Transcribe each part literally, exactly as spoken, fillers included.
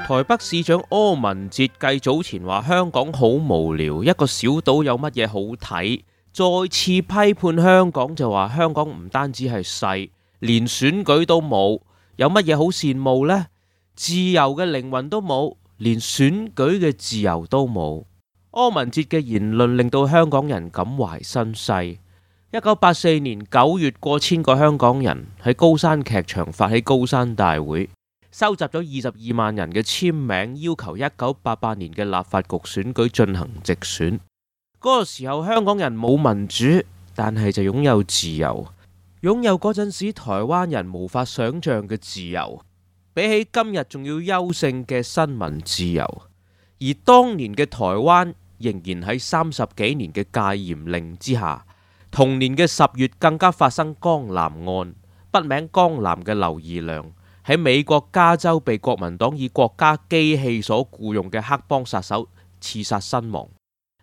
台北市長柯文哲繼早前話香港好無聊，一個小島有乜嘢好睇，再次批判香港就話香港唔單止係細，連選舉都冇，有乜嘢好羨慕呢？自由嘅靈魂都冇，連選舉嘅自由都冇。柯文哲嘅言論令到香港人感懷身世。一九八四年九月，過千個香港人喺高山劇場發起高山大會，收集咗二十二萬人嘅簽名，要求一九八八年嘅立法局選舉進行直選。嗰個時候香港人冇民主，但係就擁有自由，擁有嗰陣時台灣人無法想象嘅自由，比起今日仲要優勝嘅新聞自由。而當年嘅台灣仍然喺三十幾年嘅戒嚴令之下，同年嘅十月更加發生江南案，筆名江南嘅劉義良喺美國加州被國民黨以國家機器所僱用嘅黑幫殺手刺殺身亡，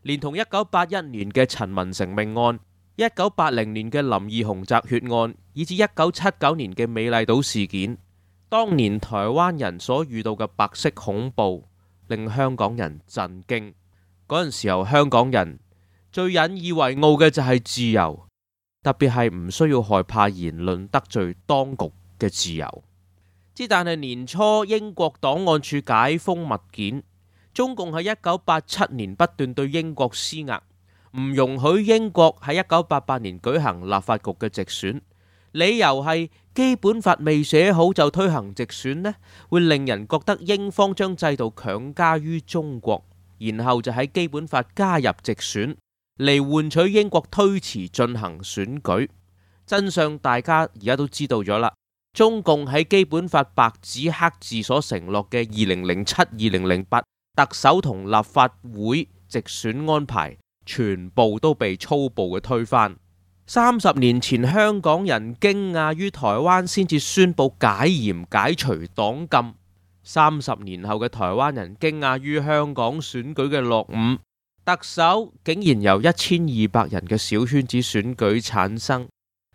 連同一九八一年嘅陳文成命案、一九八零年嘅林義雄擲血案，以至一九七九年嘅美麗島事件，當年台灣人所遇到嘅白色恐怖令香港人震驚。嗰陣時候香港人最引以為傲嘅就係自由，特別係唔需要害怕言論得罪當局嘅自由。之但係年初英國檔案處解封物件，中共喺一九八七年不斷對英國施壓，唔容許英國喺一九八八年舉行立法局嘅直選，理由係基本法未寫好就推行直選呢，會令人覺得英方將制度強加於中國，然後就喺基本法加入直選嚟換取英國推遲進行選舉。真相大家而家都知道咗啦。中共喺基本法白紙黑字所承諾嘅二零零七、二零零八特首同立法會直選安排，全部都被粗暴嘅推翻。三十年前香港人驚訝於台灣先至宣布解嚴解除黨禁，三十年後嘅台灣人驚訝於香港選舉嘅落伍，特首竟然由一千二百人嘅小圈子選舉產生。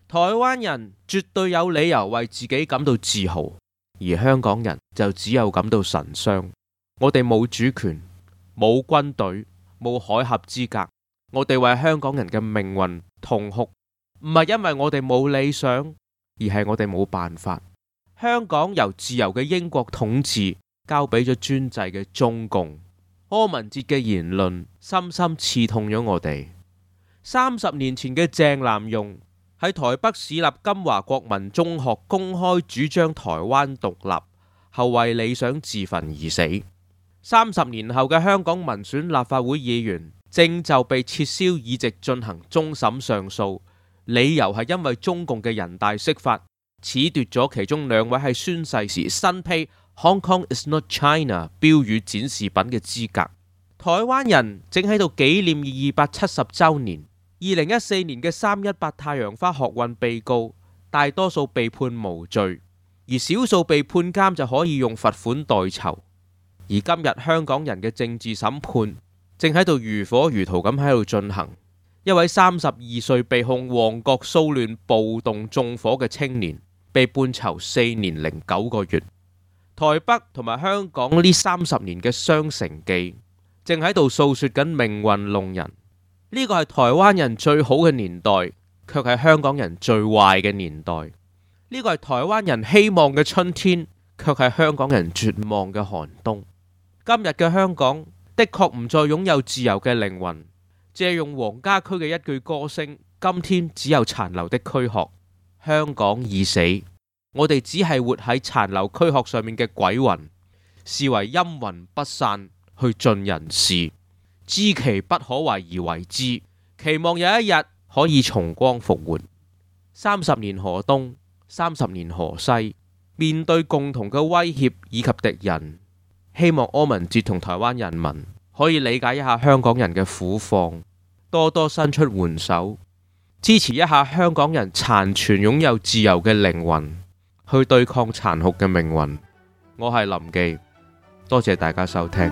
台灣人絕對有理由為自己感到自豪，而香港人就只有感到神傷。我哋冇主權，冇軍隊，冇海峽資格，我哋為香港人嘅命運痛哭，唔係因為我哋冇理想，而係我哋冇辦法。香港由自由嘅英國統治交俾咗專制嘅中共。柯文哲嘅言論深深刺痛咗我哋。三十年前嘅鄭南榕喺台北市立金華國民中學公開主張台灣獨立，後為理想自焚而死。三十年後嘅香港民選立法會議員正就被撤銷議席進行終審上訴，理由係因為中共嘅人大釋法褫奪咗其中兩位喺宣誓時身披 Hong Kong is not China 標語展示品嘅資格。台灣人正喺度紀念二百七十週年。二零一四年嘅三一八太陽花學運被告，大多數被判無罪，而少數被判監就可以用罰款代酬。而今日香港人嘅政治審判正喺度如火如荼咁喺度進行。一位三十二歲被控旺角騷亂暴動縱火嘅青年，被判囚四年零九個月。台北同埋香港呢三十年嘅雙城記，正喺度訴說緊命運弄人。呢個係台灣人最好嘅年代，卻係香港人最壞嘅年代。呢個係台灣人希望嘅春天，卻係香港人絕望嘅寒冬。今日嘅香港的確唔再擁有自由嘅靈魂。借用黃家駒嘅一句歌聲，今天只有殘留的軀殼。香港已死，我哋只係活喺殘留軀殼上面嘅鬼魂，視為陰魂不散，去盡人事。知其不可為而為之，期望有一日可以重光復活。三十年河東，三十年河西，面對共同嘅威脅以及敵人，希望柯文哲同台灣人民可以理解一下香港人嘅苦況，多多伸出援手，支持一下香港人殘存擁有自由嘅靈魂，去對抗殘酷嘅命運。我係林記，多謝大家收聽。